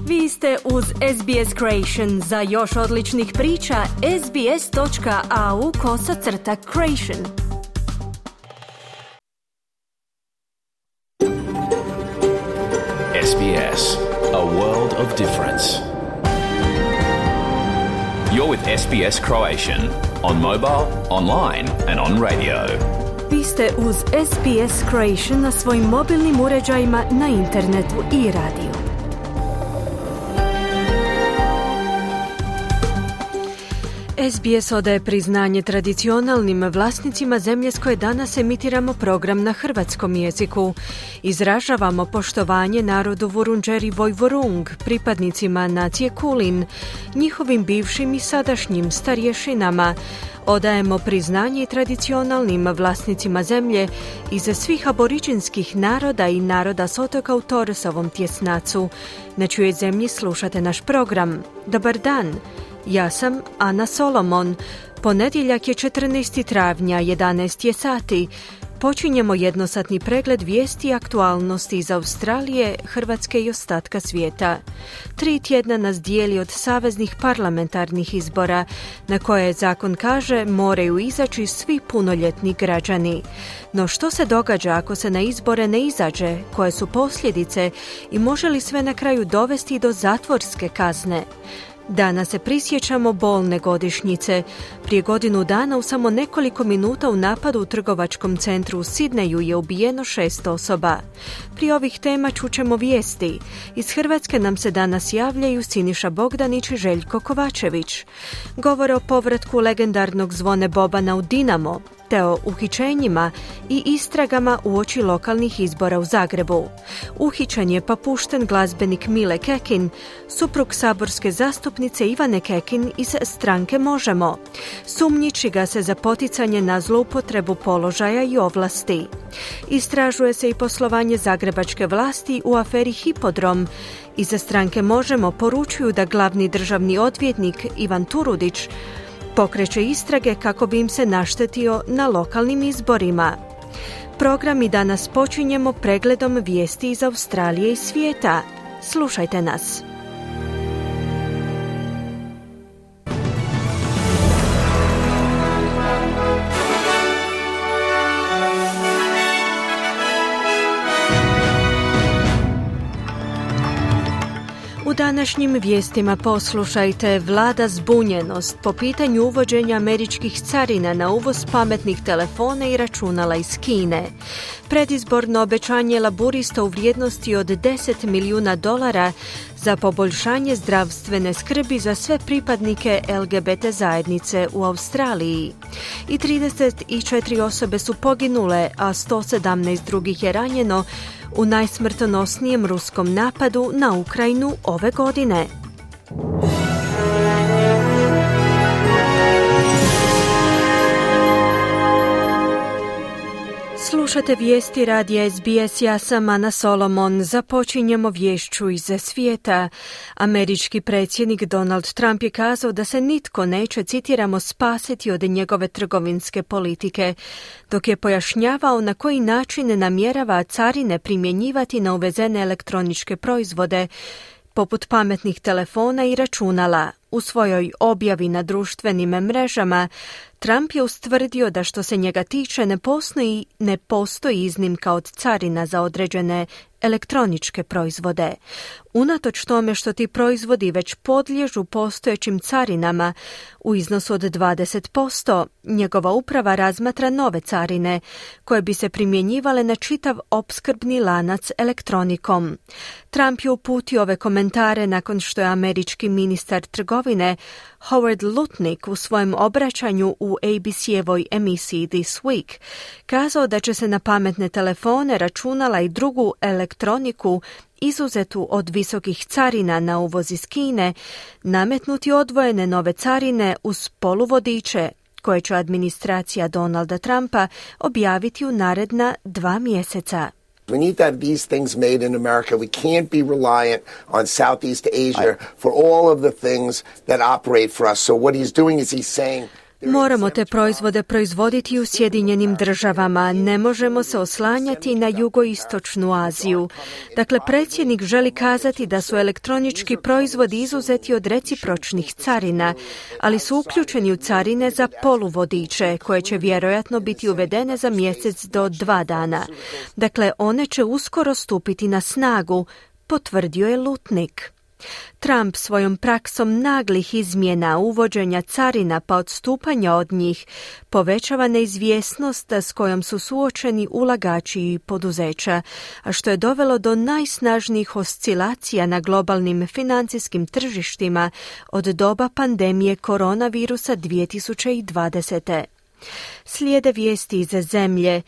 Vi ste uz SBS Creation. Za još odličnih priča, sbs.au/creation. SBS, a world of difference. You're with SBS Croatian, on mobile, online and on radio. Vi ste uz SBS Creation na svojim mobilnim uređajima, na internetu i radiju. SBS odaje priznanje tradicionalnim vlasnicima zemlje s koje danas emitiramo program na hrvatskom jeziku. Izražavamo poštovanje narodu Vurundjeri Vojvorung, pripadnicima nacije Kulin, njihovim bivšim i sadašnjim starješinama. Odajemo priznanje i tradicionalnim vlasnicima zemlje iz svih aboriđinskih naroda i naroda s otoka u Torresovom tjesnacu. Na čijoj zemlji slušate naš program. Dobar dan! Ja sam Ana Solomon. Ponedjeljak je 14. travnja, 11 je sati. Počinjemo jednosatni pregled vijesti i aktualnosti iz Australije, Hrvatske i ostatka svijeta. 3 tjedna nas dijeli od saveznih parlamentarnih izbora, na koje zakon kaže moraju izaći svi punoljetni građani. No što se događa ako se na izbore ne izađe? Koje su posljedice i može li sve na kraju dovesti do zatvorske kazne? Danas se prisjećamo bolne godišnjice. Prije godinu dana u samo nekoliko minuta u napadu u trgovačkom centru u Sidneju je ubijeno 6 osoba. Prije ovih tema čućemo vijesti. Iz Hrvatske nam se danas javljaju Siniša Bogdanić i Željko Kovačević. Govore o povratku legendarnog Zvone Bobana u Dinamo, te o uhićenjima i istragama uoči lokalnih izbora u Zagrebu. Uhićen je pa pušten glazbenik Mile Kekin, suprug saborske zastupnice Ivane Kekin iz stranke Možemo. Sumnjiči ga se za poticanje na zloupotrebu položaja i ovlasti. Istražuje se i poslovanje zagrebačke vlasti u aferi Hipodrom. Iza stranke Možemo poručuju da glavni državni odvjetnik Ivan Turudić pokreće istrage kako bi im se naštetio na lokalnim izborima. Program i danas počinjemo pregledom vijesti iz Australije i svijeta. Slušajte nas. U današnjim vijestima poslušajte: vlada zbunjenost po pitanju uvođenja američkih carina na uvoz pametnih telefona i računala iz Kine. Predizborno obećanje laburista u vrijednosti od $10 milijuna za poboljšanje zdravstvene skrbi za sve pripadnike LGBT zajednice u Australiji. I 34 osobe su poginule, a 117 drugih je ranjeno u najsmrtonosnijem ruskom napadu na Ukrajinu ove godine. Slušate vijesti radija SBS, ja sam Ana Solomon. Započinjemo vješću iz svijeta. Američki predsjednik Donald Trump je kazao da se nitko neće, citiramo, spasiti od njegove trgovinske politike, dok je pojašnjavao na koji način namjerava carine primjenjivati na uvezene elektroničke proizvode, poput pametnih telefona i računala. U svojoj objavi na društvenim mrežama Trump je ustvrdio da što se njega tiče ne postoji iznimka od carina za određene elektroničke proizvode. Unatoč tome što ti proizvodi već podliježu postojećim carinama u iznosu od 20%, njegova uprava razmatra nove carine koje bi se primjenjivale na čitav opskrbni lanac elektronikom. Trump je uputio ove komentare nakon što je američki ministar trgovine Howard Lutnick u svojem obraćanju u ABC-evoj emisiji This Week kazao da će se na pametne telefone, računala i drugu elektroniku izuzetu od visokih carina na uvoz iz Kine nametnuti odvojene nove carine uz poluvodiče koje će administracija Donalda Trumpa objaviti u naredna 2 mjeseca. We need to have these things made in America. We can't be reliant on Southeast Asia for all of the things that operate for us. So what he's doing is he's saying Moramo te proizvode proizvoditi u Sjedinjenim državama, ne možemo se oslanjati na jugoistočnu Aziju. Dakle, predsjednik želi kazati da su elektronički proizvodi izuzeti od recipročnih carina, ali su uključeni u carine za poluvodiče, koje će vjerojatno biti uvedene za mjesec do 2 dana. Dakle, one će uskoro stupiti na snagu, potvrdio je Lutnik. Trump svojom praksom naglih izmjena uvođenja carina pa odstupanja od njih povećava neizvjesnost s kojom su suočeni ulagači i poduzeća, a što je dovelo do najsnažnijih oscilacija na globalnim financijskim tržištima od doba pandemije koronavirusa 2020. Slijede vijesti iz zemlje.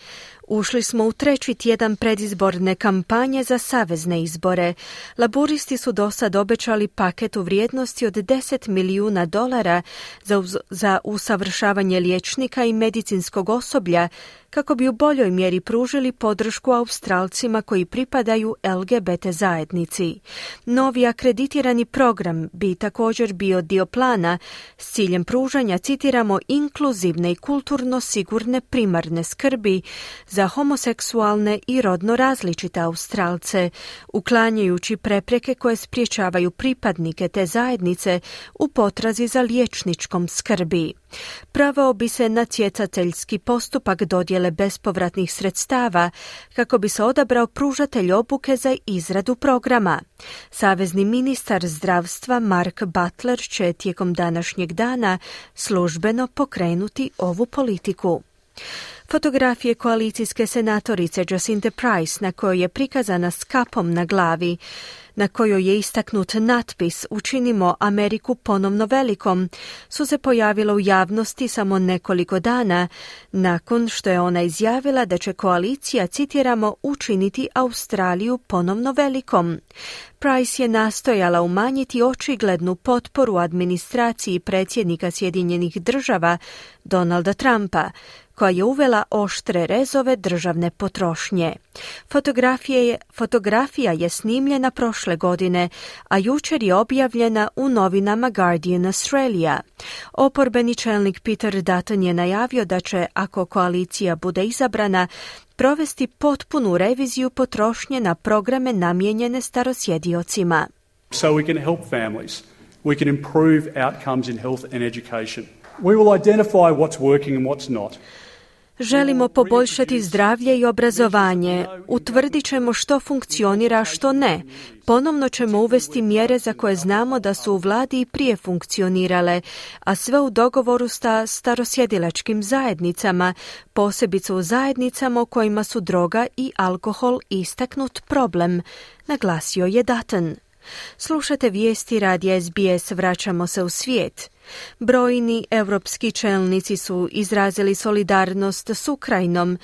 Ušli smo u 3. tjedan predizborne kampanje za savezne izbore. Laburisti su dosad obećali paket u vrijednosti od $10 milijuna za usavršavanje liječnika i medicinskog osoblja kako bi u boljoj mjeri pružili podršku Australcima koji pripadaju LGBT zajednici. Novi akreditirani program bi također bio dio plana s ciljem pružanja, citiramo, inkluzivne i kulturno sigurne primarne skrbi za homoseksualne i rodno različite Australce, uklanjajući prepreke koje sprječavaju pripadnike te zajednice u potrazi za liječničkom skrbi. Proveo bi se natjecateljski postupak dodjele bespovratnih sredstava kako bi se odabrao pružatelj obuke za izradu programa. Savezni ministar zdravstva Mark Butler će tijekom današnjeg dana službeno pokrenuti ovu politiku. Fotografije koalicijske senatorice Jacinthe Price, na kojoj je prikazana s kapom na glavi, na kojoj je istaknut natpis "Učinimo Ameriku ponovno velikom", su se pojavile u javnosti samo nekoliko dana nakon što je ona izjavila da će koalicija, citiramo, učiniti Australiju ponovno velikom. Price je nastojala umanjiti očiglednu potporu administraciji predsjednika Sjedinjenih država Donalda Trumpa, koja je uvela oštre rezove državne potrošnje. Fotografija je snimljena prošle godine, a jučer je objavljena u novinama Guardian Australia. Oporbeni čelnik Peter Dutton je najavio da će, ako koalicija bude izabrana, provesti potpunu reviziju potrošnje na programe namijenjene starosjediocima. So we can help families. We can improve outcomes in health and education. We will identify what's working and what's not. Želimo poboljšati zdravlje i obrazovanje. Utvrdit ćemo što funkcionira, a što ne. Ponovno ćemo uvesti mjere za koje znamo da su u vladi i prije funkcionirale, a sve u dogovoru sa starosjedilačkim zajednicama, posebice u zajednicama u kojima su droga i alkohol istaknut problem, naglasio je Dutton. Slušate vijesti radija SBS, vraćamo se u svijet. Brojni europski čelnici su izrazili solidarnost s Ukrajinom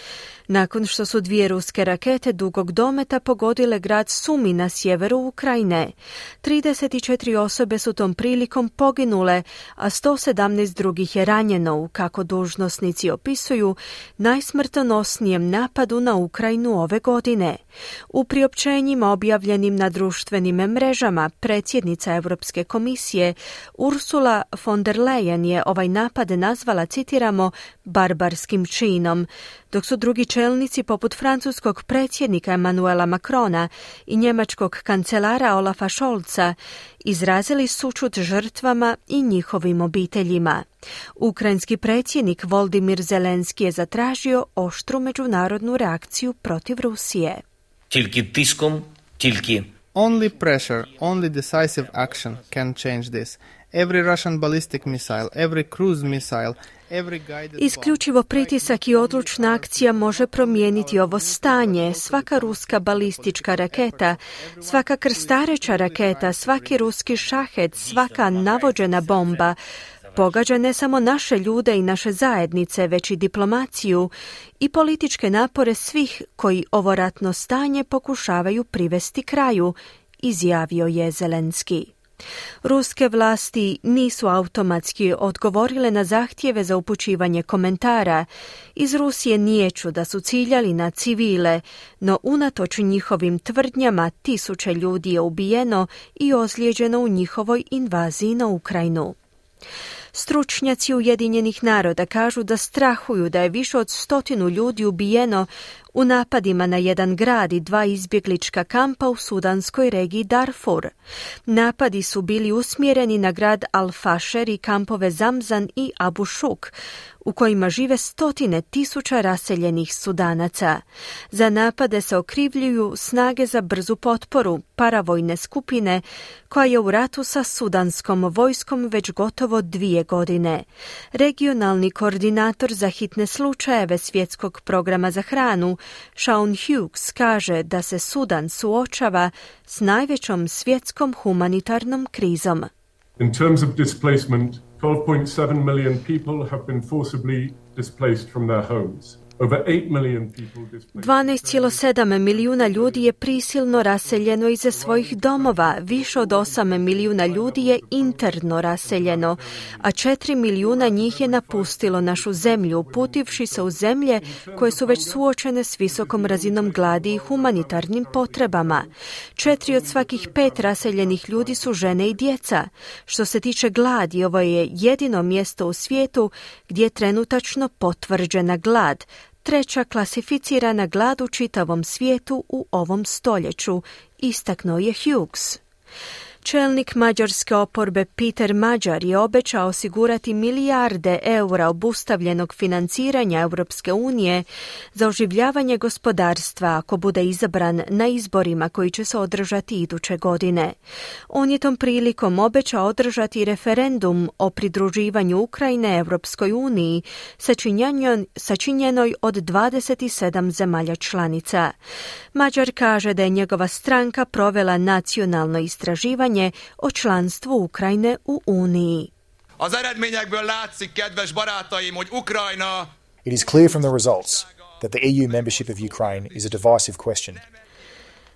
nakon što su 2 ruske rakete dugog dometa pogodile grad Sumi na sjeveru Ukrajine. 34 osobe su tom prilikom poginule, a 117 drugih je ranjeno u, kako dužnosnici opisuju, najsmrtonosnijem napadu na Ukrajinu ove godine. U priopćenjima objavljenim na društvenim mrežama predsjednica Europske komisije Ursula von der Leyen je ovaj napad nazvala, citiramo, barbarskim činom, dok su drugi čelnici poput francuskog predsjednika Emmanuela Macrona i njemačkog kancelara Olafa Scholza izrazili sućut žrtvama i njihovim obiteljima. Ukrajinski predsjednik Volodymyr Zelenski je zatražio oštru međunarodnu reakciju protiv Rusije. Only pressure, only decisive action can change this. Every Russian ballistic missile, every cruise missile, every guided bomb. Isključivo pritisak i odlučna akcija može promijeniti ovo stanje. Svaka ruska balistička raketa, svaka krstareća raketa, svaki ruski šahed, svaka navođena bomba pogađa ne samo naše ljude i naše zajednice, već i diplomaciju i političke napore svih koji ovo ratno stanje pokušavaju privesti kraju, izjavio je Zelenski. Ruske vlasti nisu automatski odgovorile na zahtjeve za upućivanje komentara. Iz Rusije niječu da su ciljali na civile, no unatoč njihovim tvrdnjama 1000 ljudi je ubijeno i ozlijeđeno u njihovoj invaziji na Ukrajinu. Stručnjaci Ujedinjenih naroda kažu da strahuju da je više od 100 ljudi ubijeno u napadima na jedan grad i 2 izbjeglička kampa u sudanskoj regiji Darfur. Napadi su bili usmjereni na grad Al-Fasher i kampove Zamzan i Abu Shuk, u kojima žive 100.000 raseljenih Sudanaca. Za napade se okrivljuju snage za brzu potporu, paravojne skupine, koja je u ratu sa sudanskom vojskom već gotovo 2 godine. Regionalni koordinator za hitne slučajeve Svjetskog programa za hranu, Shaun Hughes, kaže da se Sudan suočava s najvećom svjetskom humanitarnom krizom. In terms of displacement, 12.7 million people have been forcibly displaced from their homes. Over 8 million people displaced. 12,7 milijuna ljudi je prisilno raseljeno iz svojih domova, više od 8 milijuna ljudi je interno raseljeno, a 4 milijuna njih je napustilo našu zemlju, uputivši se u zemlje koje su već suočene s visokom razinom gladi i humanitarnim potrebama. 4 od svakih 5 raseljenih ljudi su žene i djeca. Što se tiče gladi, ovo je jedino mjesto u svijetu gdje je trenutačno potvrđena glad, 3. klasificirana glad u čitavom svijetu u ovom stoljeću, istaknuo je Hughes. Čelnik mađarske oporbe Peter Mađar je obećao osigurati milijarde eura obustavljenog financiranja Europske unije za oživljavanje gospodarstva ako bude izabran na izborima koji će se održati iduće godine. On je tom prilikom obećao održati referendum o pridruživanju Ukrajine Europskoj uniji sačinjenoj od 27 zemalja članica. Mađar kaže da je njegova stranka provela nacionalno istraživanje o članstvu Ukrajine u Uniji. Az eredményekből látszik, kedves barátaim, hogy Ukrajna... It is clear from the results that the EU membership of Ukraine is a divisive question.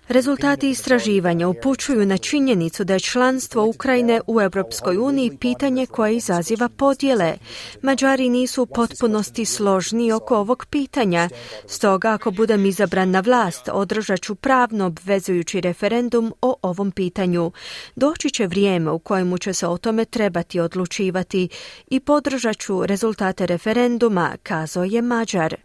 Rezultati istraživanja upućuju na činjenicu da je članstvo Ukrajine u Europskoj uniji pitanje koje izaziva podjele. Mađari nisu u potpunosti složni oko ovog pitanja. Stoga, ako budem izabran na vlast, održat ću pravno obvezujući referendum o ovom pitanju. Doći će vrijeme u kojemu će se o tome trebati odlučivati i podržat ću rezultate referenduma, kazao je Mađar.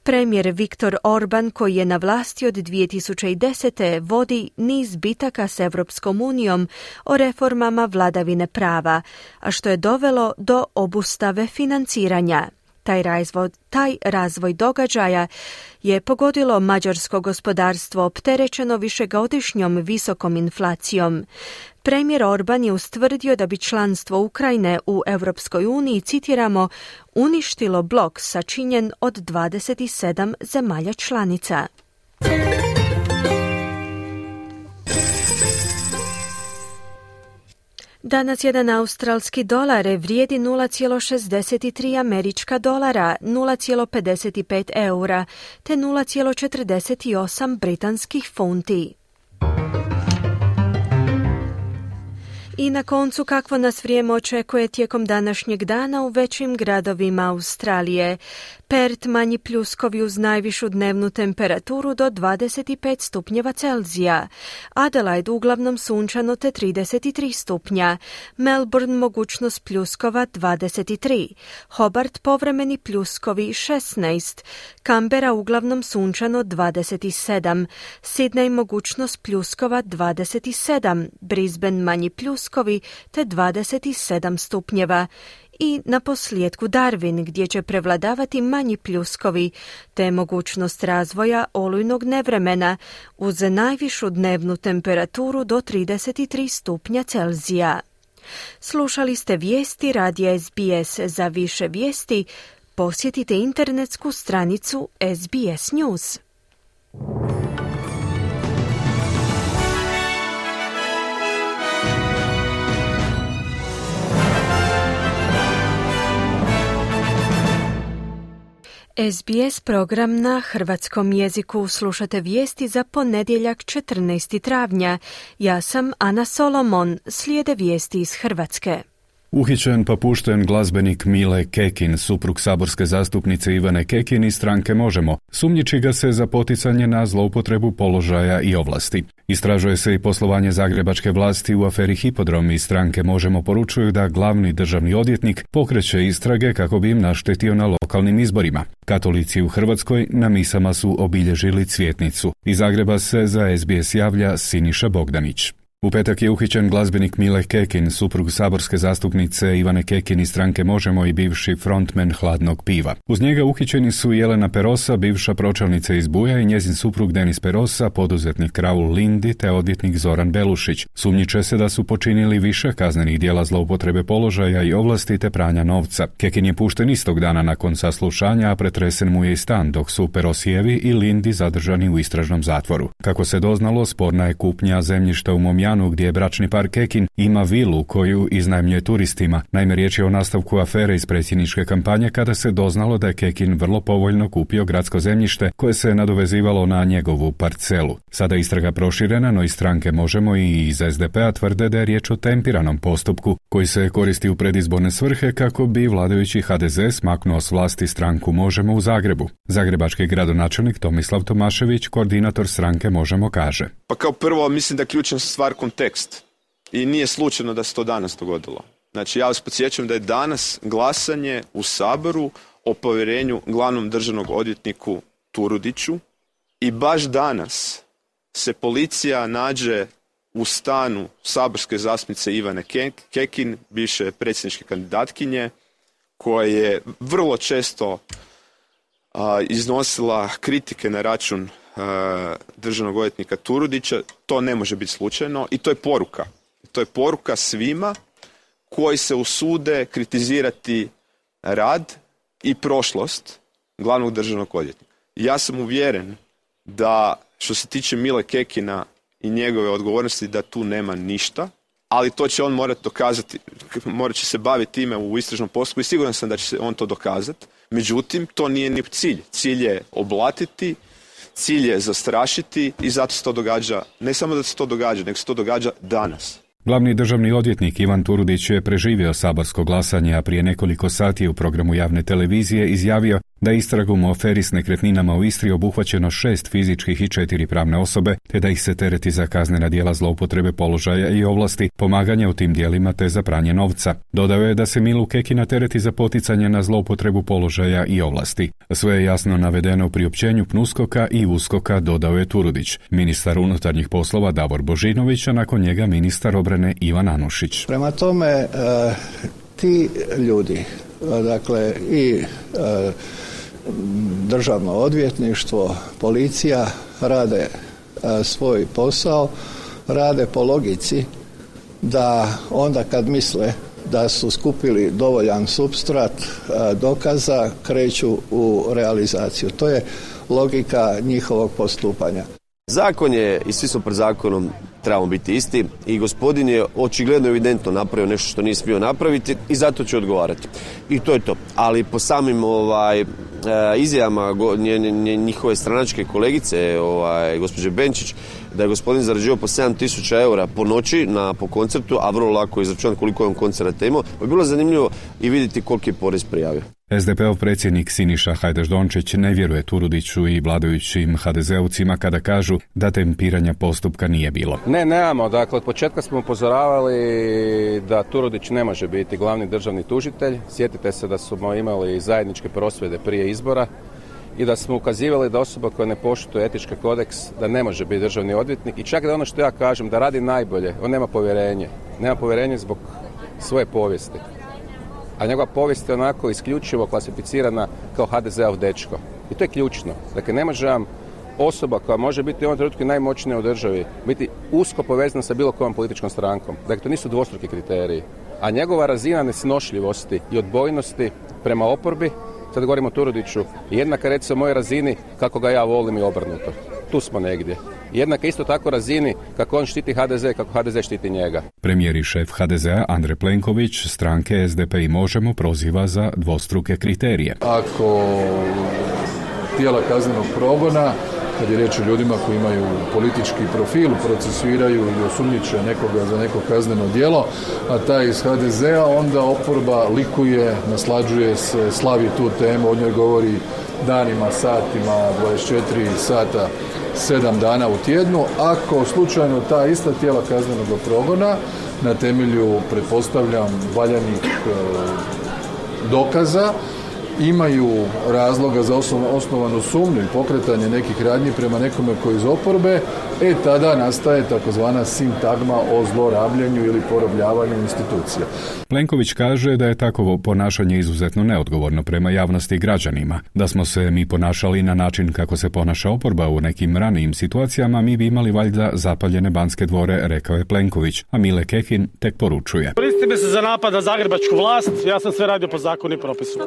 Premijer Viktor Orban, koji je na vlasti od 2010. vodi niz bitaka s Europskom unijom o reformama vladavine prava, a što je dovelo do obustave financiranja. Taj razvoj događaja je pogodilo mađarsko gospodarstvo opterećeno višegodišnjom visokom inflacijom. Premijer Orban je ustvrdio da bi članstvo Ukrajine u Europskoj uniji, citiramo, uništilo blok sačinjen od 27 zemalja članica. Danas jedan australski dolar vrijedi 0,63 američka dolara, 0,55 eura te 0,48 britanskih funti. I na koncu, kakvo nas vrijeme očekuje tijekom današnjeg dana u većim gradovima Australije. Perth manji pljuskovi uz najvišu dnevnu temperaturu do 25 stupnjeva Celzija. Adelaide uglavnom sunčano te 33 stupnja. Melbourne mogućnost pljuskova 23. Hobart povremeni pljuskovi 16. Canberra uglavnom sunčano 27. Sydney mogućnost pljuskova 27. Brisbane manji pljuskovi te 27 stupnjeva. I na posljedku Darwin, gdje će prevladavati manji pljuskovi, te mogućnost razvoja olujnog nevremena uz najvišu dnevnu temperaturu do 33 stupnja Celzija. Slušali ste vijesti radija SBS. Za više vijesti posjetite internetsku stranicu SBS News. SBS program na hrvatskom jeziku. Slušate vijesti za ponedjeljak 14. travnja. Ja sam Ana Solomon. Slijede vijesti iz Hrvatske. Uhićen pa pušten glazbenik Mile Kekin, suprug saborske zastupnice Ivane Kekin iz stranke Možemo, sumnjiči ga se za poticanje na zloupotrebu položaja i ovlasti. Istražuje se i poslovanje zagrebačke vlasti u aferi Hipodrom i stranke Možemo poručuju da glavni državni odvjetnik pokreće istrage kako bi im naštetio na lokalnim izborima. Katolici u Hrvatskoj na misama su obilježili cvjetnicu. Iz Zagreba se za SBS javlja Siniša Bogdanić. U petak je uhićen glazbenik Mile Kekin, suprug saborske zastupnice Ivane Kekin iz stranke Možemo i bivši frontmen Hladnog piva. Uz njega uhićeni su Jelena Perosa, bivša pročelnica iz Buja, i njezin suprug Denis Perosa, poduzetnik Raul Lindi te odvjetnik Zoran Belušić. Sumnjiče se da su počinili više kaznenih djela zloupotrebe položaja i ovlasti te pranja novca. Kekin je pušten istog dana nakon saslušanja, a pretresen mu je i stan, dok su Perosijevi i Lindi zadržani u istražnom zatvoru. Kako se doznalo, sporna je kupnja zemljišta u Momjanu, gdje je bračni par Kekin ima vilu koju iznajmljuje turistima. Naime, riječ je o nastavku afere iz predsjedničke kampanje kada se doznalo da je Kekin vrlo povoljno kupio gradsko zemljište koje se nadovezivalo na njegovu parcelu. Sada je istraga proširena, no iz stranke Možemo i iz SDP-a tvrde da je riječ o tempiranom postupku koji se koristi u predizborne svrhe kako bi vladajući HDZ smaknuo s vlasti stranku Možemo u Zagrebu. Zagrebački gradonačelnik Tomislav Tomašević, koordinator stranke Možemo, kaže: Pa kao prvo, mislim da je ključna stvar kontekst. I nije slučajno da se to danas dogodilo. Znači, ja vas podsjećam da je danas glasanje u Saboru o povjerenju glavnom državnog odvjetniku Turudiću i baš danas se policija nađe u stanu saborske zastupnice Ivane Kekin, bivše predsjedničke kandidatkinje, koja je vrlo često iznosila kritike na račun državnog odvjetnika Turudića. To ne može biti slučajno i to je poruka. To je poruka svima koji se usude kritizirati rad i prošlost glavnog državnog odvjetnika. Ja sam uvjeren da što se tiče Mile Kekina i njegove odgovornosti da tu nema ništa, ali to će on morati dokazati, morat će se baviti time u istražnom postupku i siguran sam da će se on to dokazati. Međutim, to nije ni cilj. Cilj je oblatiti, cilj je zastrašiti i zato se to događa, ne samo da se to događa, nego se to događa danas. Glavni državni odvjetnik Ivan Turudić je preživio saborsko glasanje, a prije nekoliko sati u programu javne televizije izjavio da istragom u aferi s nekretninama u Istri obuhvaćeno 6 fizičkih i 4 pravne osobe, te da ih se tereti za kaznena djela zloupotrebe položaja i ovlasti, pomaganja u tim djelima te za pranje novca. Dodao je da se Milu Kekina tereti za poticanje na zloupotrebu položaja i ovlasti. Sve je jasno navedeno u priopćenju PNUSKOK-a i USKOK-a, dodao je Turudić. Ministar unutarnjih poslova Davor Božinović, a nakon njega ministar obrane Ivan Anušić. Prema tome, ti ljudi, dakle i državno odvjetništvo, policija rade svoj posao, rade po logici da onda kad misle da su skupili dovoljan supstrat dokaza, kreću u realizaciju. To je logika njihovog postupanja. Zakon je i svi smo pred zakonom, trebamo biti isti i gospodin je očigledno evidentno napravio nešto što nije smio napraviti i zato će odgovarati. I to je to. Ali po samim izjavama njihove stranačke kolegice, gospođe Benčić, da je gospodin zarađivao po 7.000 eura po noći po koncertu, a vrlo lako izračunati koliko je on koncerta imao, pa je bilo zanimljivo i vidjeti koliki je porez prijavio. SDP-ov predsjednik Siniša Hajdaš-Dončić ne vjeruje Turudiću i vladajućim HDZ-ovcima kada kažu da tempiranja postupka nije bilo. Nemamo. Dakle, od početka smo upozoravali da Turudić ne može biti glavni državni tužitelj. Sjetite se da smo imali zajedničke prosvjede prije izbora i da smo ukazivali da osoba koja ne poštuje etički kodeks da ne može biti državni odvjetnik i čak da ono što ja kažem da radi najbolje, on nema povjerenje. Nema povjerenje zbog svoje povijesti. A njegova povijest je onako isključivo klasificirana kao HDZ-ov dečko. I to je ključno. Dakle, ne može vam osoba koja može biti u ovom trenutku najmoćnija u državi biti usko povezana sa bilo kojom političkom strankom. Dakle, to nisu dvostruki kriteriji. A njegova razina nesnošljivosti i odbojnosti prema oporbi, sad govorimo o Turudiću, jednaka recimo mojoj razini kako ga ja volim i obrnuto. Tu smo negdje. Jednaka isto tako razini kako on štiti HDZ, kako HDZ štiti njega. Premijer i šef HDZ-a Andrej Plenković stranke SDP i Možemo proziva za dvostruke kriterije. Ako tijela kaznenog progona kad je riječ o ljudima koji imaju politički profil, procesuiraju ili osumnjiče nekoga za neko kazneno djelo, a taj iz HDZ-a, onda oporba likuje, naslađuje se, slavi tu temu, o njoj govori danima, satima, 24 sata, 7 dana u tjednu. Ako slučajno ta ista tijela kaznenog progona na temelju, pretpostavljam, valjanih dokaza imaju razloga za osnovanu sumnju i pokretanje nekih radnji prema nekome koji iz oporbe, tada nastaje takozvana sintagma o zlorabljenju ili porobljavanju institucija. Plenković kaže da je takovo ponašanje izuzetno neodgovorno prema javnosti i građanima. Da smo se mi ponašali na način kako se ponaša oporba u nekim ranijim situacijama, mi bi imali valjda zapaljene Banske dvore, rekao je Plenković, a Mile Kekin tek poručuje. Koristite se za napad na zagrebačku vlast, ja sam sve radio po zakonu i propisu.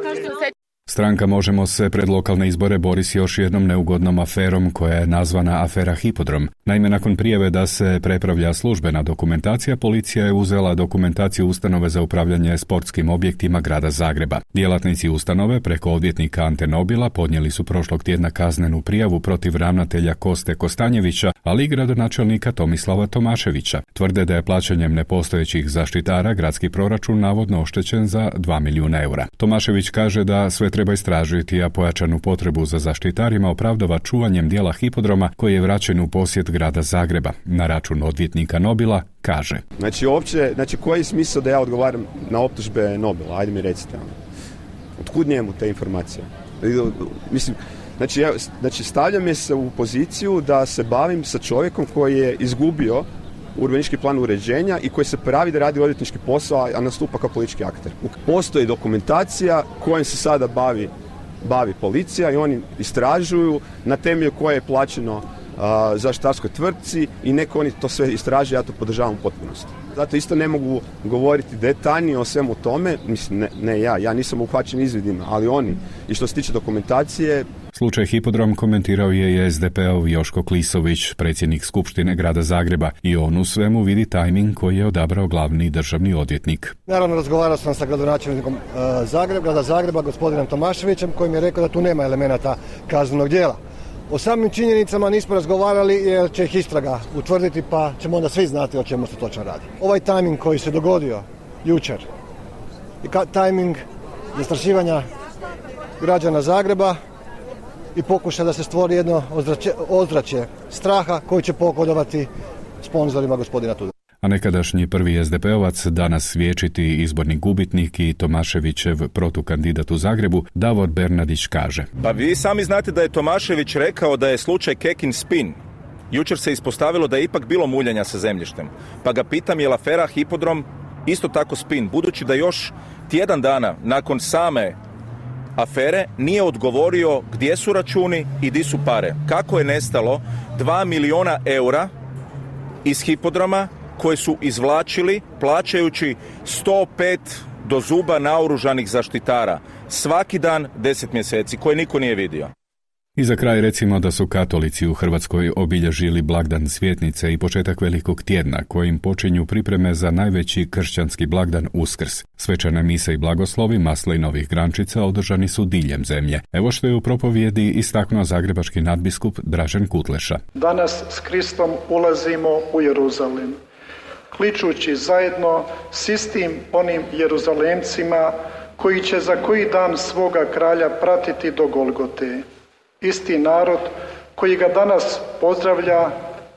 Stranka Možemo se pred lokalne izbore bori s još jednom neugodnom aferom koja je nazvana afera Hipodrom. Naime, nakon prijave da se prepravlja službena dokumentacija, policija je uzela dokumentaciju ustanove za upravljanje sportskim objektima grada Zagreba. Djelatnici ustanove preko odvjetnika Ante Nobila podnijeli su prošlog tjedna kaznenu prijavu protiv ravnatelja Koste Kostanjevića, ali i gradonačelnika Tomislava Tomaševića. Tvrde da je plaćanjem nepostojećih zaštitara gradski proračun navodno oštećen za 2 milijuna eura. Tomašević kaže da sve treba istražiti, a pojačanu potrebu za zaštitarima opravdava čuvanjem dijela hipodroma koji je vraćen u posjed grada Zagreba. Na račun odvjetnika Nobila kaže. Znači koji je smisao da ja odgovaram na optužbe Nobila? Ajde mi recite. Otkud njemu te informacije? Mislim, znači stavljam je se u poziciju da se bavim sa čovjekom koji je izgubio urbanistički plan uređenja i koji se pravi da radi odvjetnički posao, a nastupa kao politički akter. Postoji dokumentacija kojom se sada bavi policija i oni istražuju na temelju koje je plaćeno zaštitarskoj tvrtci i neko oni to sve istraže, ja to podržavam u potpunosti. Zato isto ne mogu govoriti detaljnije o svemu tome, mislim ne ja nisam uhvaćen izvidima, ali oni. I što se tiče dokumentacije... Slučaj Hipodrom komentirao je i SDP-ov Joško Klisović, predsjednik Skupštine grada Zagreba, i on u svemu vidi tajming koji je odabrao glavni državni odvjetnik. Naravno, razgovarao sam sa gradonačelnikom grada Zagreba, gospodinom Tomaševićem, koji mi je rekao da tu nema elemenata kaznenog djela. O samim činjenicama nismo razgovarali jer će ih istraga utvrditi, pa ćemo onda svi znati o čemu se točno radi. Ovaj tajming koji se dogodio jučer i tajming zastrašivanja građana Zagreba i pokuša da se stvori jedno ozračje straha koji će pogodovati sponzorima gospodina Tudora. A nekadašnji prvi SDP-ovac, danas vječiti izborni gubitnik i Tomaševićev protukandidat u Zagrebu, Davor Bernardić kaže. Pa vi sami znate da je Tomašević rekao da je slučaj Kekin spin. Jučer se ispostavilo da je ipak bilo muljanja sa zemljištem. Pa ga pitam je li afera Hipodrom isto tako spin, budući da još tjedan dana nakon same afere nije odgovorio gdje su računi i di su pare. Kako je nestalo 2 milijuna eura iz Hipodroma koje su izvlačili plaćajući 105 do zuba naoružanih zaštitara svaki dan 10 mjeseci koje niko nije vidio. I za kraj recimo da su katolici u Hrvatskoj obilježili blagdan Svjetnice i početak Velikog tjedna kojim počinju pripreme za najveći kršćanski blagdan Uskrs. Svečane mise i blagoslovi maslinovih grančica održani su diljem zemlje. Evo što je u propovjedi istaknuo zagrebački nadbiskup Dražen Kutleša. Danas s Kristom ulazimo u Jeruzalem, kličući zajedno s istim onim Jeruzalemcima koji će za koji dan svoga kralja pratiti do Golgote. Isti narod koji ga danas pozdravlja,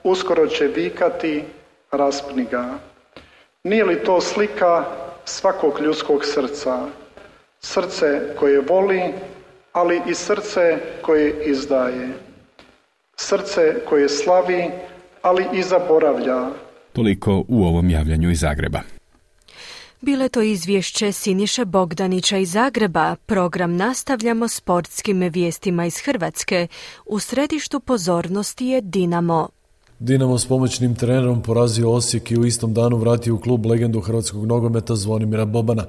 uskoro će vikati raspni ga. Nije li to slika svakog ljudskog srca? Srce koje voli, ali i srce koje izdaje. Srce koje slavi, ali i zaboravlja. Toliko u ovom javljanju iz Zagreba. Bile to izvješće Siniše Bogdanića iz Zagreba. Program nastavljamo sportskim vijestima iz Hrvatske. U središtu pozornosti je Dinamo. Dinamo s pomoćnim trenerom porazio Osijek i u istom danu vratio u klub legendu hrvatskog nogometa Zvonimira Bobana.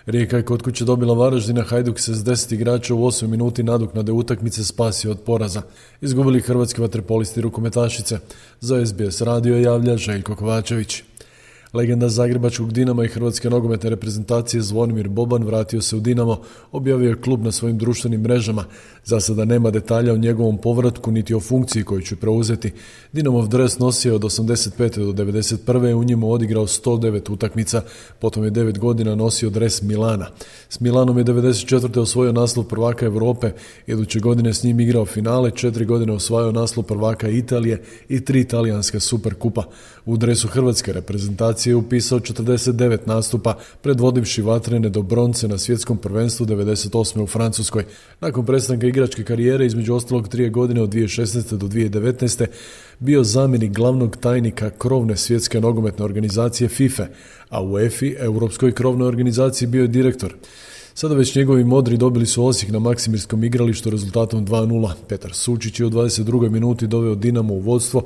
Rijeka je kod kuće dobila Varaždina, Hajduk se s 10 igrača u 8 minuti nadoknade utakmice spasio od poraza. Izgubili hrvatski vaterpolisti rukometašice. Za SBS radio javlja Željko Kovačević. Legenda zagrebačkog Dinama i hrvatske nogometne reprezentacije Zvonimir Boban vratio se u Dinamo, objavio je klub na svojim društvenim mrežama. Za sada nema detalja o njegovom povratku niti o funkciji koju će preuzeti. Dinamov dres nosio od 85. do 91. U njemu odigrao 109 utakmica, potom je 9 godina nosio dres Milana. S Milanom je 94. osvojio naslov prvaka Europe, iduće godine s njim igrao finale, 4 godine osvajao naslov prvaka Italije i 3 talijanska superkupa. U dresu hrvatske reprezentacije je upisao 49 nastupa, predvodivši vatrene do bronce na svjetskom prvenstvu 98. u Francuskoj. Nakon prestanka igračke karijere, između ostalog 3 godine od 2016. do 2019. bio zamjenik glavnog tajnika krovne svjetske nogometne organizacije FIFA, a u EFI, Europskoj krovnoj organizaciji, bio je direktor. Sada već njegovi modri dobili su Osijek na Maksimirskom igralištu rezultatom 2:0. Petar Sučić je u 22. minuti doveo Dinamo u vodstvo,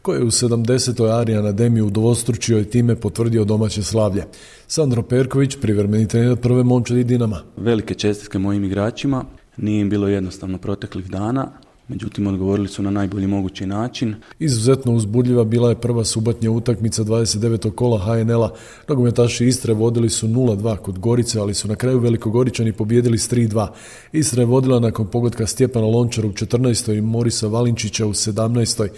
koje je u 70. Arijan Ademi udvostručio i time potvrdio domaće slavlje. Sandro Perković, privremeni trener prve momčadi Dinama. Velike čestitke mojim igračima, nije im bilo jednostavno proteklih dana, međutim odgovorili su na najbolji mogući način. Izuzetno uzbudljiva bila je prva subotnja utakmica 29. kola HNL-a. Nogometaši Istre vodili su 0:2 kod Gorice, ali su na kraju Velikogoričani pobijedili s 3:2. Istra je vodila nakon pogotka Stjepana Lončara u 14. i Morisa Valinčića u 17.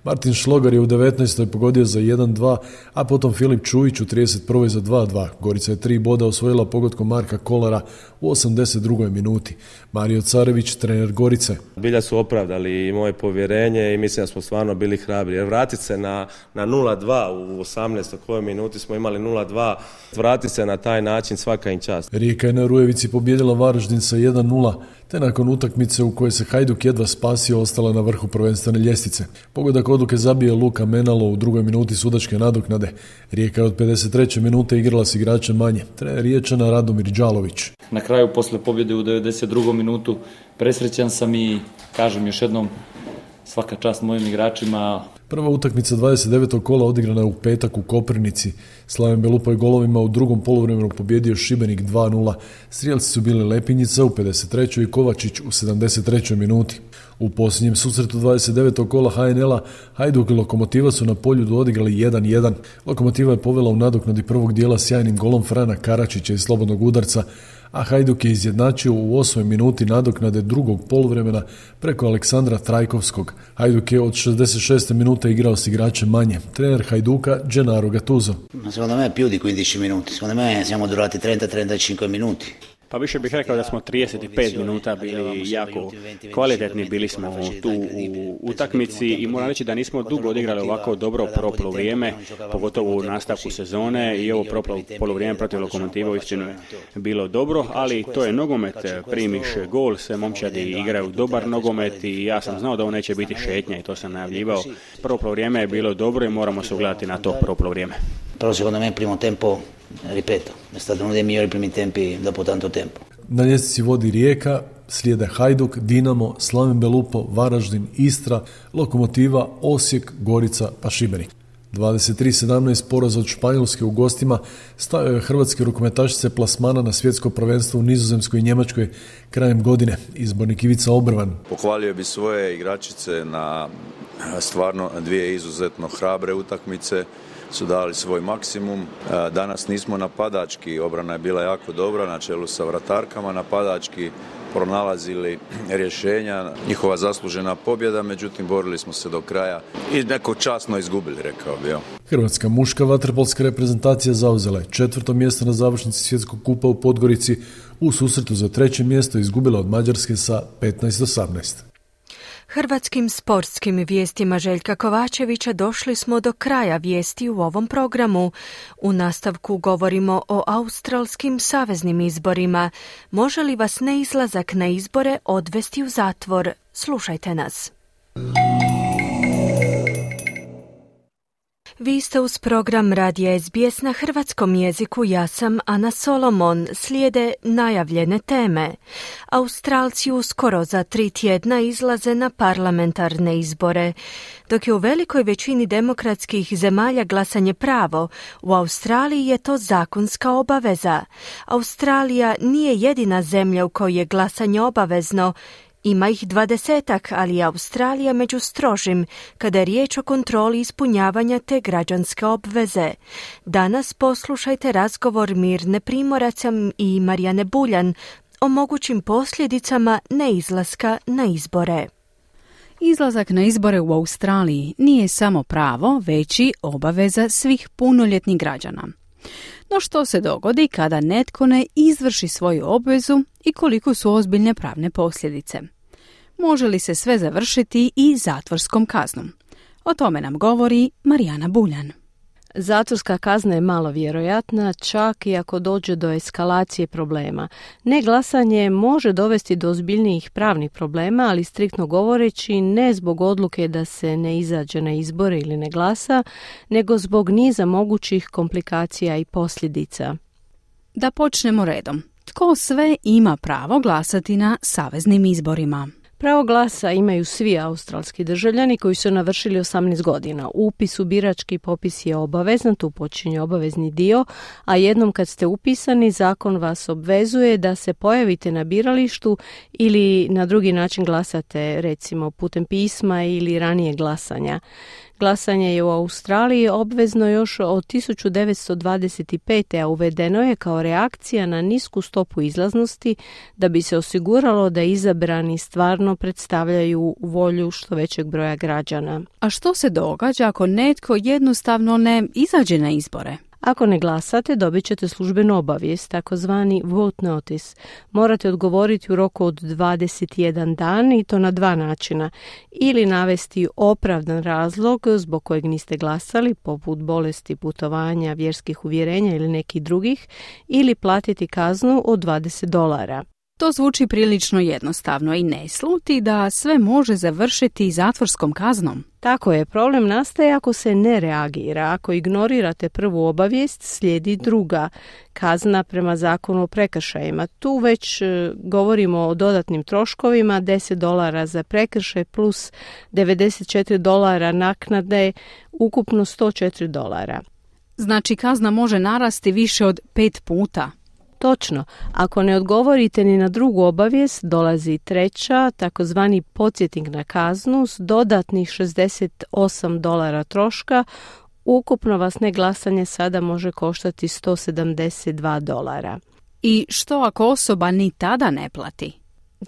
Martin Šlogar je u 19. pogodio za 1:2, a potom Filip Čujić u 31. za 2:2. Gorica je 3 boda osvojila pogodkom Marka Kolara u 82. minuti. Mario Carević, trener Gorice. Bilja su opravdali i moje povjerenje i mislim da smo stvarno bili hrabri. Jer vratiti se na 0:2 u 18. kojoj minuti smo imali 0:2, vratiti se na taj način svaka im čast. Rijeka je na Rujevici pobijedila Varaždin sa 1:0, te nakon utakmice u kojoj se Hajduk jedva spasio ostala na vrhu prvenstvene ljestvice. Pogodak odluke zabio Luka Menalo u 2. minuti sudačke nadoknade. Rijeka je od 53. minute igrala s igračem manje. Trener Riječana Radomir Đalović. Na kraju, posle pobjede u 92. minutu, presrećan sam i kažem još jednom svaka čast mojim igračima. Prva utakmica 29. kola odigrana je u petak u Koprivnici. Slaven Belupo je golovima u drugom poluvremenu pobjedio Šibenik 2:0. Strijelci su bili Lepinjica u 53. i Kovačić u 73. minuti. U posljednjem susretu 29. kola HNL-a Hajduk i Lokomotiva su na Poljudu odigrali 1:1. Lokomotiva je povela u nadoknadi prvog dijela sjajnim golom Frana Karačića iz slobodnog udarca, a Hajduk je izjednačio u 8. minuti nadoknade drugog poluvremena preko Aleksandra Trajkovskog. Hajduk je od 66. minute igrao s igračem manje. Trener Hajduka Gennaro Gattuso. Secondo me più di 15 minuti, secondo me siamo durati 30-35 minuti. Pa više bih rekao da smo 35 minuta bili jako kvalitetni, bili smo tu u utakmici i moram reći da nismo dugo odigrali ovako dobro prvo poluvrijeme, pogotovo u nastavku sezone, i ovo prvo poluvrijeme protiv Lokomotive uistinu je bilo dobro, ali to je nogomet, primiš gol, sve momčadi igraju dobar nogomet i ja sam znao da ovo neće biti šetnja i to sam najavljivao. Prvo poluvrijeme je bilo dobro i moramo se ugledati na to prvo poluvrijeme. Però secondo me il primo tempo, ripeto, è stato uno dei migliori primi tempi dopo tanto tempo. Na ljestvici vodi Rijeka, slijede Hajduk, Dinamo, Slaven Belupo, Varaždin, Istra, Lokomotiva, Osijek, Gorica pa Šibenik. 23:17 poraz od Španjolske u gostima stavio je hrvatske rukometašice plasmana na svjetsko prvenstvo u Nizozemskoj i Njemačkoj krajem godine. Izbornik Ivica Obrvan. Pohvalio bi svoje igračice na stvarno 2 izuzetno hrabre utakmice, su dali svoj maksimum. Danas nismo napadački, obrana je bila jako dobra na čelu sa vratarkama, napadački pronalazili rješenja, njihova zaslužena pobjeda, međutim borili smo se do kraja i neko časno izgubili, rekao bi. Hrvatska muška vaterpolska reprezentacija zauzela je 4. mjesto na završnici svjetskog kupa u Podgorici, u susretu za 3. mjesto izgubila od Mađarske sa 15:18. Hrvatskim sportskim vijestima Željka Kovačevića došli smo do kraja vijesti u ovom programu. U nastavku govorimo o australskim saveznim izborima. Može li vas neizlazak na izbore odvesti u zatvor? Slušajte nas. Vi ste uz program Radija SBS na hrvatskom jeziku. Ja sam Ana Solomon. Slijede najavljene teme. Australci uskoro za 3 tjedna izlaze na parlamentarne izbore. Dok je u velikoj većini demokratskih zemalja glasanje pravo, u Australiji je to zakonska obaveza. Australija nije jedina zemlja u kojoj je glasanje obavezno. Ima ih 20, ali je Australija među strožim kada je riječ o kontroli ispunjavanja te građanske obveze. Danas poslušajte razgovor Mirne Primorac i Marijane Buljan o mogućim posljedicama neizlaska na izbore. Izlazak na izbore u Australiji nije samo pravo, već i obaveza svih punoljetnih građana. No što se dogodi kada netko ne izvrši svoju obvezu i koliko su ozbiljne pravne posljedice? Može li se sve završiti i zatvorskom kaznom? O tome nam govori Marijana Buljan. Zatvorska kazna je malo vjerojatna, čak i ako dođe do eskalacije problema. Neglasanje može dovesti do ozbiljnijih pravnih problema, ali striktno govoreći ne zbog odluke da se ne izađe na izbore ili ne glasa, nego zbog niza mogućih komplikacija i posljedica. Da počnemo redom. Tko sve ima pravo glasati na saveznim izborima? Pravo glasa imaju svi australski državljani koji su navršili 18 godina. Upis u birački popis je obavezan, tu počinje obavezni dio, a jednom kad ste upisani, zakon vas obvezuje da se pojavite na biralištu ili na drugi način glasate, recimo putem pisma ili ranije glasanja. Glasanje je u Australiji obvezno još od 1925. a uvedeno je kao reakcija na nisku stopu izlaznosti da bi se osiguralo da izabrani stvarno predstavljaju volju što većeg broja građana. A što se događa ako netko jednostavno ne izađe na izbore? Ako ne glasate, dobit ćete službenu obavijest, takozvani vote notice. Morate odgovoriti u roku od 21 dan i to na dva načina. Ili navesti opravdan razlog zbog kojeg niste glasali, poput bolesti, putovanja, vjerskih uvjerenja ili nekih drugih, ili platiti kaznu od $20. To zvuči prilično jednostavno i ne sluti da sve može završiti zatvorskom kaznom. Tako je, problem nastaje ako se ne reagira. Ako ignorirate prvu obavijest, slijedi druga, kazna prema zakonu o prekršajima. Tu već govorimo o dodatnim troškovima, $10 za prekršaj plus $94 naknade, ukupno $104. Znači kazna može narasti više od 5 puta. Točno. Ako ne odgovorite ni na drugu obavijest, dolazi treća, takozvani podsjetnik na kaznu s dodatnih $68 troška. Ukupno vas neglasanje sada može koštati $172. I što ako osoba ni tada ne plati?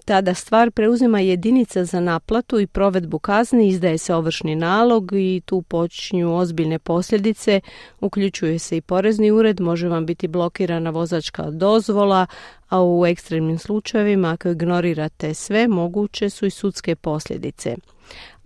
Tada stvar preuzima jedinica za naplatu i provedbu kazni, izdaje se ovršni nalog i tu počinju ozbiljne posljedice, uključuje se i porezni ured, može vam biti blokirana vozačka dozvola, a u ekstremnim slučajevima ako ignorirate sve, moguće su i sudske posljedice.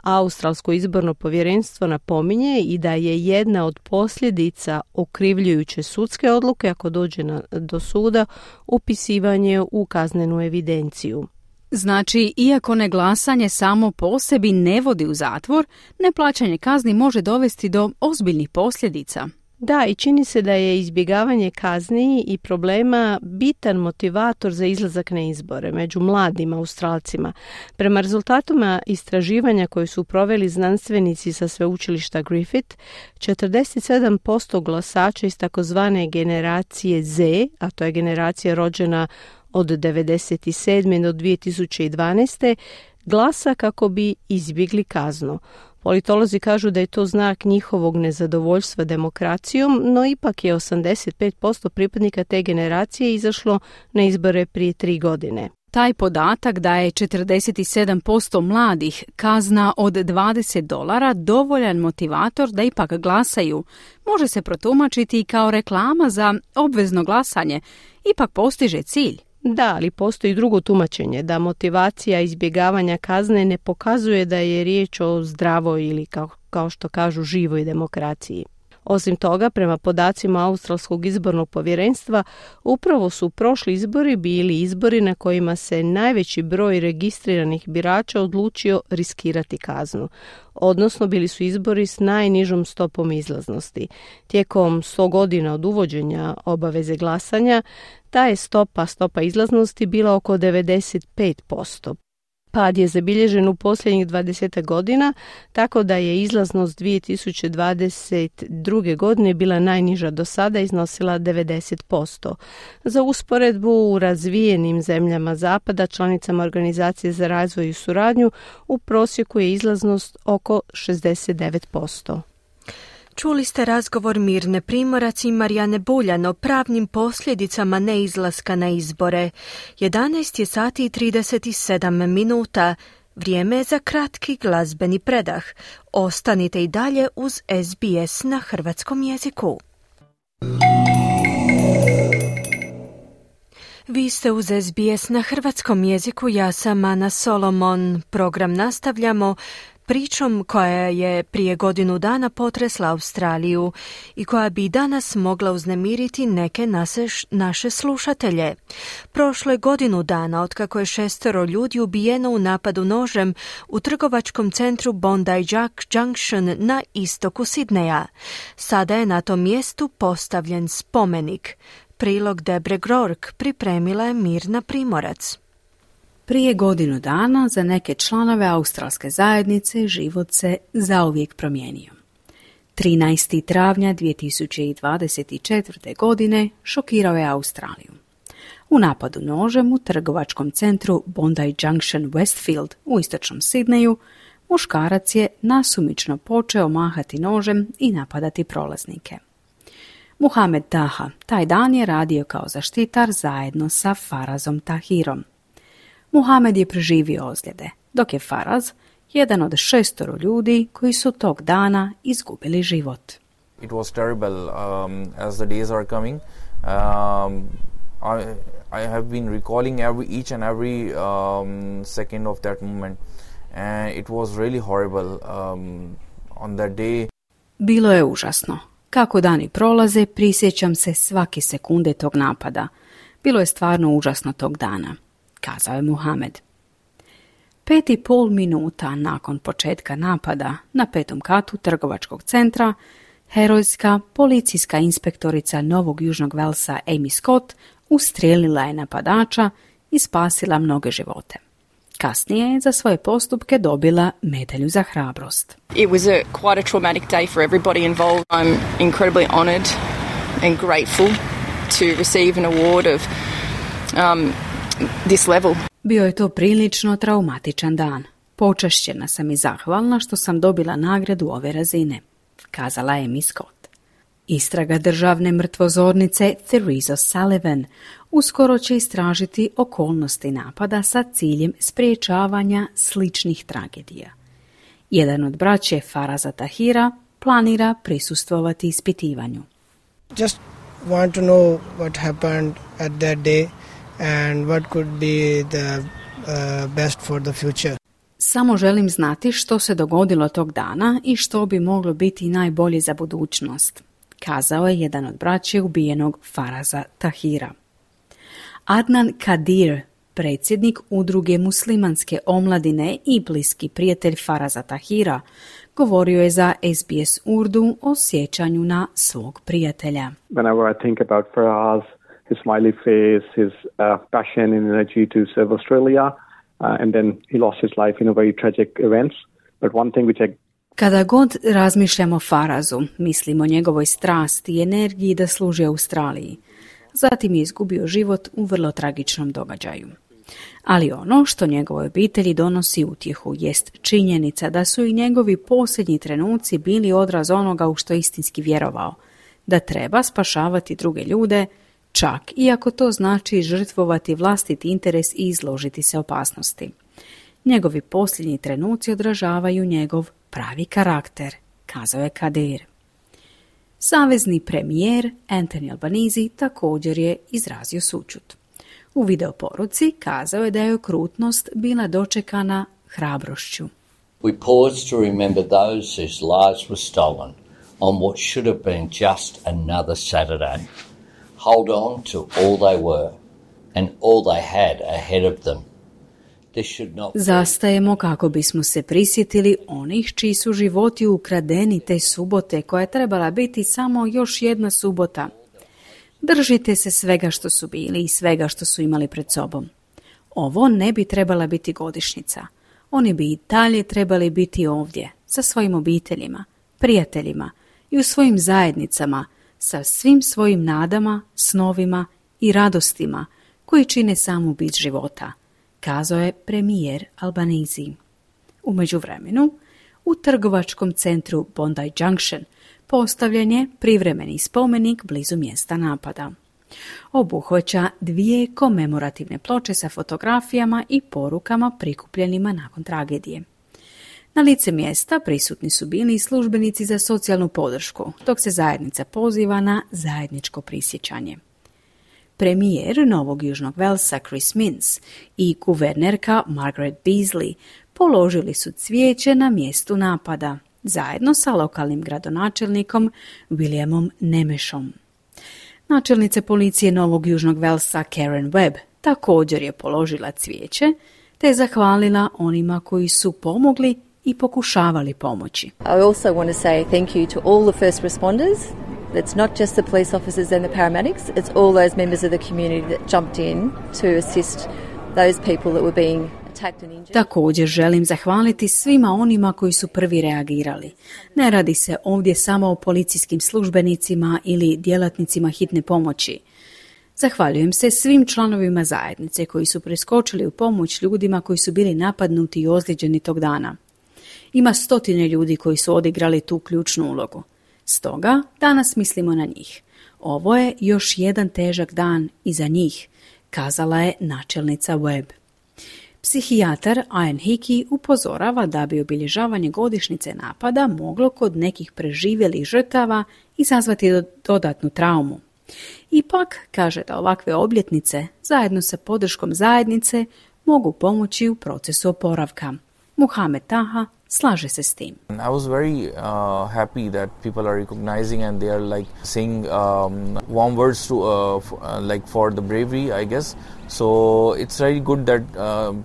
Australsko izborno povjerenstvo napominje i da je jedna od posljedica okrivljujuće sudske odluke ako dođe do suda upisivanje u kaznenu evidenciju. Znači, iako neglasanje samo po sebi ne vodi u zatvor, neplaćanje kazni može dovesti do ozbiljnih posljedica. Da, i čini se da je izbjegavanje kazni i problema bitan motivator za izlazak na izbore među mladim Australcima. Prema rezultatima istraživanja koje su proveli znanstvenici sa sveučilišta Griffith, 47% glasača iz takozvane generacije Z, a to je generacija rođena od 1997. do 2012. glasa kako bi izbjegli kaznu. Politolozi kažu da je to znak njihovog nezadovoljstva demokracijom, no ipak je 85% pripadnika te generacije izašlo na izbore prije 3 godine. Taj podatak da je 47% mladih kazna od $20 dovoljan motivator da ipak glasaju, može se protumačiti kao reklama za obvezno glasanje, ipak postiže cilj. Da, ali postoji drugo tumačenje, da motivacija izbjegavanja kazne ne pokazuje da je riječ o zdravoj ili, kao što kažu, živoj demokraciji. Osim toga, prema podacima Australskog izbornog povjerenstva, upravo su prošli izbori bili izbori na kojima se najveći broj registriranih birača odlučio riskirati kaznu. Odnosno, bili su izbori s najnižom stopom izlaznosti. Tijekom 100 godina od uvođenja obaveze glasanja, ta je stopa izlaznosti bila oko 95%. Pad je zabilježen u posljednjih 20 godina, tako da je izlaznost 2022. godine bila najniža do sada, iznosila 90%. Za usporedbu, u razvijenim zemljama Zapada, članicama Organizacije za razvoj i suradnju, u prosjeku je izlaznost oko 69%. Čuli ste razgovor Mirne Primorac i Marijane Buljan o pravnim posljedicama neizlaska na izbore. 11 je sati i 37 minuta. Vrijeme je za kratki glazbeni predah. Ostanite i dalje uz SBS na hrvatskom jeziku. Vi ste uz SBS na hrvatskom jeziku, ja sam Ana Solomon. Program nastavljamo pričom koja je prije godinu dana potresla Australiju i koja bi danas mogla uznemiriti neke naše slušatelje. Prošlo je godinu dana otkako je 6 ljudi ubijeno u napadu nožem u trgovačkom centru Bondi Junction na istoku Sidneja. Sada je na tom mjestu postavljen spomenik. Prilog Debre Grork pripremila je Mirna Primorac. Prije godinu dana za neke članove australske zajednice život se zauvijek promijenio. 13. travnja 2024. godine šokirao je Australiju. U napadu nožem u trgovačkom centru Bondi Junction Westfield u istočnom Sidneju muškarac je nasumično počeo mahati nožem i napadati prolaznike. Muhamed Taha taj dan je radio kao zaštitar zajedno sa Farazom Tahirom. Muhamed je preživio ozljede, dok je Faraz jedan od 6 ljudi koji su tog dana izgubili život. It was terrible as the days are coming. I have been recalling each and every second of that moment, and it was really horrible on that day. Bilo je užasno. Kako dani prolaze, prisjećam se svake sekunde tog napada. Bilo je stvarno užasno tog dana, kazao je Muhamed. 5,5 minuta nakon početka napada na 5. katu trgovačkog centra, herojska policijska inspektorica Novog Južnog Velsa Amy Scott ustrijelila je napadača i spasila mnoge živote. Kasnije je za svoje postupke dobila medalju za hrabrost. It was quite a traumatic day for everybody involved. I'm incredibly honored and grateful to receive an award of this level. Bio je to prilično traumatičan dan. Počašćena sam i zahvalna što sam dobila nagradu ove razine, kazala je Amy Scott. Istraga državne mrtvozornice Theresa Sullivan uskoro će istražiti okolnosti napada sa ciljem spriječavanja sličnih tragedija. Jedan od braće Faraza Tahira planira prisustvovati ispitivanju. Just want to know what happened at that day and what could be the best for the future. Samo želim znati što se dogodilo tog dana i što bi moglo biti najbolje za budućnost, kazao je jedan od braće ubijenog Faraza Tahira. Adnan Kadir, predsjednik udruge muslimanske omladine i bliski prijatelj Faraza Tahira, govorio je za SBS Urdu o sjećanju na svog prijatelja. Whenever I think about Faraz, his smiley face, his passion and energy to serve Australia, and then he lost his life in a very tragic events. But one thing which I Kada god razmišljamo o Farazu, mislimo o njegovoj strasti i energiji da služi Australiji. Zatim je izgubio život u vrlo tragičnom događaju. Ali ono što njegovoj obitelji donosi utjehu jest činjenica da su i njegovi posljednji trenuci bili odraz onoga u što istinski vjerovao, da treba spašavati druge ljude, čak i ako to znači žrtvovati vlastiti interes i izložiti se opasnosti. Njegovi posljednji trenuci odražavaju njegov pravi karakter, kazao je Kadir. Savezni premijer Anthony Albanese također je izrazio sućut. U videoporuci kazao je da je okrutnost bila dočekana hrabrošću. We pause to remember those whose lives were stolen on what should have been just another Saturday. Hold on to all they were and all they had ahead of them. Zastajemo kako bismo se prisjetili onih čiji su životi ukradeni te subote koja je trebala biti samo još jedna subota. Držite se svega što su bili i svega što su imali pred sobom. Ovo ne bi trebala biti godišnjica. Oni bi i dalje trebali biti ovdje, sa svojim obiteljima, prijateljima i u svojim zajednicama, sa svim svojim nadama, snovima i radostima koji čine samu bit života, kazao je premijer Albanese. U međuvremenu, u trgovačkom centru Bondi Junction postavljen je privremeni spomenik blizu mjesta napada. Obuhvaća 2 komemorativne ploče sa fotografijama i porukama prikupljenima nakon tragedije. Na lice mjesta prisutni su bili i službenici za socijalnu podršku, dok se zajednica poziva na zajedničko prisjećanje. Premijer Novog Južnog Velsa Chris Minns i guvernerka Margaret Beasley položili su cvijeće na mjestu napada, zajedno sa lokalnim gradonačelnikom Williamom Nemešom. Načelnica policije Novog Južnog Velsa Karen Webb također je položila cvijeće te zahvalila onima koji su pomogli i pokušavali pomoći. I also want to say thank you to all the first responders. It's not just the police officers and the paramedics, it's all those members of the community that jumped in to assist those people that were being attacked and injured. Također želim zahvaliti svima onima koji su prvi reagirali. Ne radi se ovdje samo o policijskim službenicima ili djelatnicima hitne pomoći. Zahvaljujem se svim članovima zajednice koji su preskočili u pomoć ljudima koji su bili napadnuti i ozlijeđeni tog dana. Ima 100 ljudi koji su odigrali tu ključnu ulogu. Stoga danas mislimo na njih. Ovo je još jedan težak dan i za njih, kazala je načelnica Webb. Psihijatar Ian Hickey upozorava da bi obilježavanje godišnjice napada moglo kod nekih preživjelih žrtava izazvati dodatnu traumu. Ipak kaže da ovakve obljetnice, zajedno sa podrškom zajednice, mogu pomoći u procesu oporavka. Muhamed Taha slaže se s tim. I was very happy that people are recognizing and they are like saying warm words to like for the bravery, I guess. So it's really good that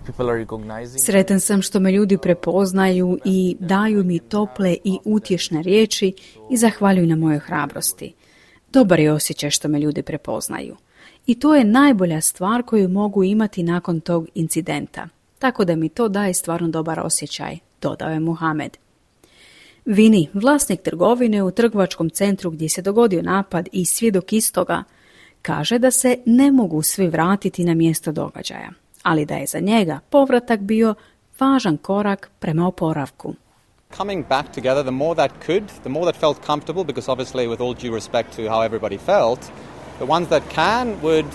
people are recognizing. Sretan sam što me ljudi prepoznaju i daju mi tople i utješne riječi i zahvaljuju na mojoj hrabrosti. Dobar je osjećaj što me ljudi prepoznaju. I to je najbolja stvar koju mogu imati nakon tog incidenta. Tako da mi to daje stvarno dobar osjećaj, dodao je Muhamed. Vini, vlasnik trgovine u trgovačkom centru gdje se dogodio napad i svjedok istoga, kaže da se ne mogu svi vratiti na mjesto događaja, ali da je za njega povratak bio važan korak prema oporavku. Coming back together, the more that could, the more that felt comfortable, because obviously with all due respect to how everybody felt, the ones that can would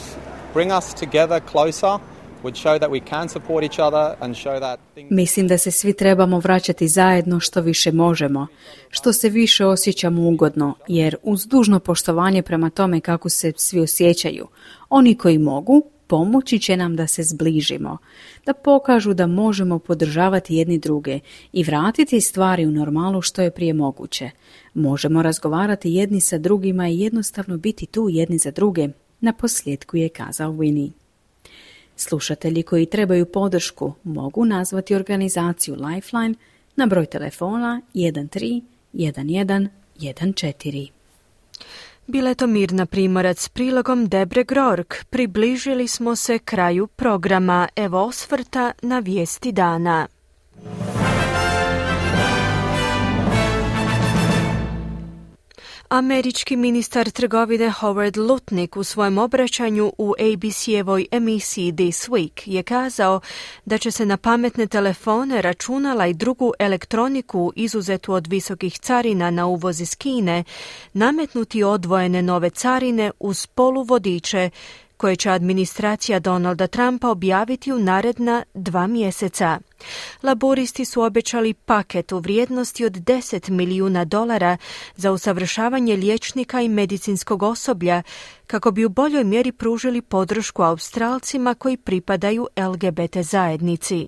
bring us together closer, would show that we can support each other and show that things... Mislim da se svi trebamo vraćati zajedno što više možemo, što se više osjećamo ugodno, jer uz dužno poštovanje prema tome kako se svi osjećaju, oni koji mogu, pomoći će nam da se zbližimo, da pokažu da možemo podržavati jedni druge i vratiti stvari u normalu što je prije moguće. Možemo razgovarati jedni sa drugima i jednostavno biti tu jedni za druge, na posljedku je kazao Winnie. Slušatelji koji trebaju podršku mogu nazvati organizaciju Lifeline na broj telefona 131114. Bila je to Mirna Primorac s prilogom Debre Grork. Približili smo se kraju programa. Evo osvrta na vijesti dana. Američki ministar trgovine Howard Lutnick u svojem obraćanju u ABC-evoj emisiji This Week je kazao da će se na pametne telefone, računala i drugu elektroniku izuzetu od visokih carina na uvoz iz Kine nametnuti odvojene nove carine uz poluvodiče koje će administracija Donalda Trumpa objaviti u naredna 2 mjeseca. Laburisti su obećali paket u vrijednosti od $10 milijuna za usavršavanje liječnika i medicinskog osoblja kako bi u boljoj mjeri pružili podršku Australcima koji pripadaju LGBT zajednici.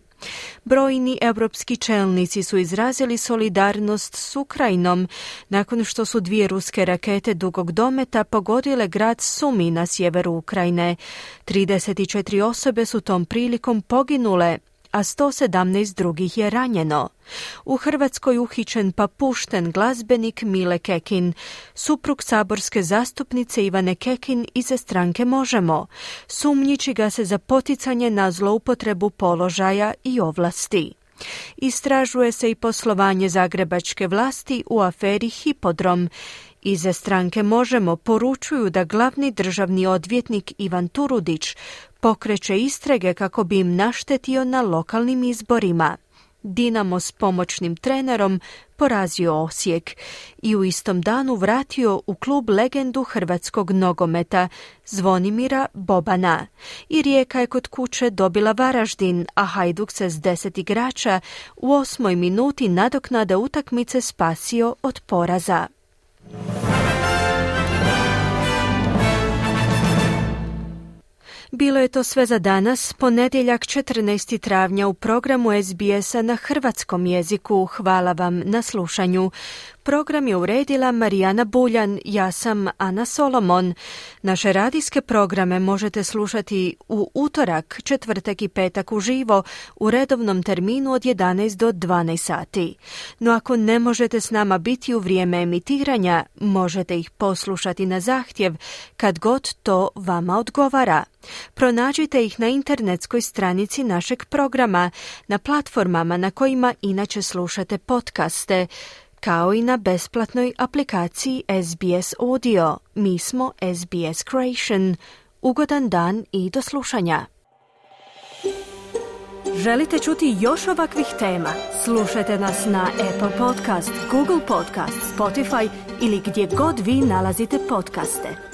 Brojni europski čelnici su izrazili solidarnost s Ukrajinom nakon što su 2 ruske rakete dugog dometa pogodile grad Sumi na sjeveru Ukrajine. 34 osobe su tom prilikom poginule, a 117 drugih je ranjeno. U Hrvatskoj uhićen pa pušten glazbenik Mile Kekin, suprug saborske zastupnice Ivane Kekin iz stranke Možemo, sumnjiči ga se za poticanje na zloupotrebu položaja i ovlasti. Istražuje se i poslovanje zagrebačke vlasti u aferi Hipodrom. Iz stranke Možemo poručuju da glavni državni odvjetnik Ivan Turudić pokreće istrage kako bi im naštetio na lokalnim izborima. Dinamo s pomoćnim trenerom porazio Osijek i u istom danu vratio u klub legendu hrvatskog nogometa Zvonimira Bobana. I Rijeka je kod kuće dobila Varaždin, a Hajduk se s 10 igrača u 8. minuti nadoknade utakmice spasio od poraza. Bilo je to sve za danas, ponedjeljak 14. travnja u programu SBS-a na hrvatskom jeziku. Hvala vam na slušanju. Program je uredila Marijana Buljan, ja sam Ana Solomon. Naše radijske programe možete slušati u utorak, četvrtak i petak uživo u redovnom terminu od 11 do 12 sati. No ako ne možete s nama biti u vrijeme emitiranja, možete ih poslušati na zahtjev kad god to vama odgovara. Pronađite ih na internetskoj stranici našeg programa, na platformama na kojima inače slušate podcaste, kao i na besplatnoj aplikaciji SBS Audio. Mi smo SBS Creation. Ugodan dan i do slušanja. Želite čuti još ovakvih tema? Slušajte nas na Apple Podcast, Google Podcast, Spotify ili gdje god vi nalazite podcaste.